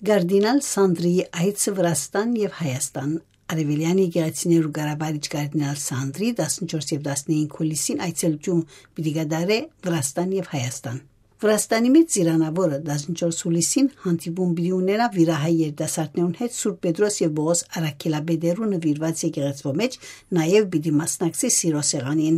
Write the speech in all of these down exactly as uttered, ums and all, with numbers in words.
Կարդինալ Սանդրիի այցը Վրաստան եւ Հայաստան։ Արեւելեան եկեղեցիներու կառավարիչ կարդինալ Սանդրի տասնչորս եւ տասնհինգ հուլիսին այցելութիւն պիտի կատարէ Վրաստան եւ Հայաստան։ Վրաստանի մէջ ծիրանաւորը տասնչորս հուլիսին հանդիպում պիտի ունենայ վիրահայ երիտասարդներուն հետ Սուրբ Պետրոս եւ Պողոս առաքելապետերու նուիրուած եկեղեցւոյ մէջ, նաեւ պիտի մասնակցի սիրո սեղանին։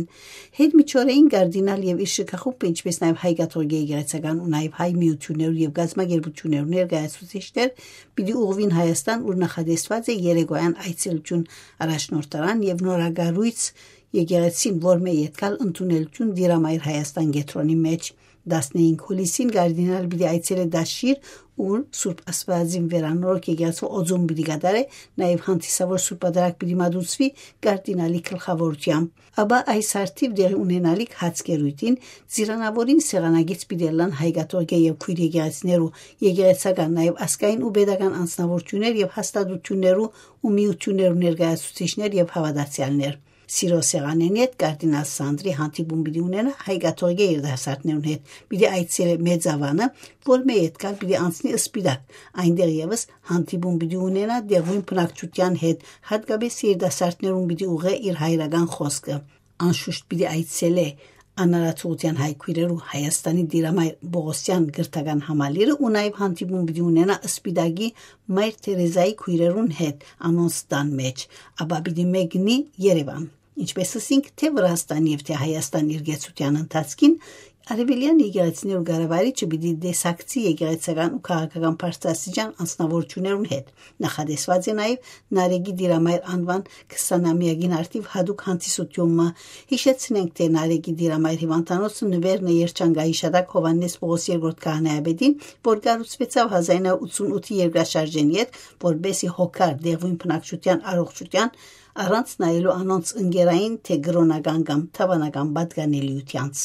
Յետ միջօրէին կարդինալ եւ իր շքախումբը, ինչպէս նաեւ հայ կաթողիկէ եկեղեցական ու նաեւ հայ միութիւններու եւ կազմակերպութիւններու ներկայացուցիչներ պիտի ուղղուին Հայաստան, ուր նախատեսուած է երեկոյեան այցելութիւն առաջնորդարան եւ նորակառոյց եկեղեցին, որ մէ յետքալ ընդունելութիւն Տիրամայր Հայաստան կեդրոնի մէջ։ Տասնհինգ հուլիսին կարդինալ պիտի այցելէ Դաշիր, ուր Սուրբ Աստուածին վերանորոգ եկեղեցու օծում պիտի կատարէ, նաեւ հանդիսավոր Սուրբ Պատարագ պիտի մատուցուի կարդինալի գլխաւորութեամբ։ Ապա այս հարթիւ տեղի ունենալիք հաց կերոյթին ծիրանաւորին սեղանագիծ պիտի ըլլան հայ կաթողիկէ եւ քոյր եկեղեցիներու, եկեղեցական, նաեւ ազգային ու պետական անձնաւորութիւններ եւ հաստատութիւններու ու միութիւններու ներկայացուցիչներ եւ հաւատացեալներ։ Սիրո սեղանին յետ կարդինալ Սանդրի հանդիպում պիտի ունենայ հայ կաթողիկէ երիտասարդներուն հետ, պիտի այցելէ Մեծ Ավանը, որ մէ յետքալ պիտի անցնի Սպիտակ, այնտեղ եւս հանդիպում պիտի ունենայ տեղւոյն բնակչութեան հետ, հատկապես երիտասարդներուն պիտի ուղղէ իր հայրական խօսքը։ Անշուշտ պիտի այցելէ անարարթուղութեան հայ քոյրերու Հայաստանի Տիրամայր Պողոսեան կրթական համալիրը ու նաեւ հանդիպում պիտի ունենայ Սպիտակի Մայր Թերեզայի քոյրերուն հետ անոնց տան մէջ, ապա պիտի մեկնի Երեւան։ Ինչպէս ըսինք, թէ Վրաստան եւ թէ Հայաստան իր կեցութեան ընթացքին արեւելեան եկեղեցիներու կառավարիչը պիտի տեսակցի եկեղեցական ու քաղաքական բարձրաստիճան անձնաւորութիւններուն հետ։ Նախատեսուած է նաեւ Նարեկի Տիրամայր անուան քսանամեակին արդիւ յատուկ հանդիսութիւն մը։ Յիշեցնենք, թէ Նարեկի Տիրամայր հիւանդանոցը նուէր է Երջանկայի Շատակ Յովհաննէս Պողոս երկրորդ քահանայապետին, որ կառուցուեցաւ հազար ինը ութսուն ութի երկրաշարժէն յետ, որպէս զի հոգար տեղւոյն բնակչութեան առողջութեան, առանց նայելու անոնց ընկերային թէ կրօնական կամ դաւանական պատկանելիութեանց։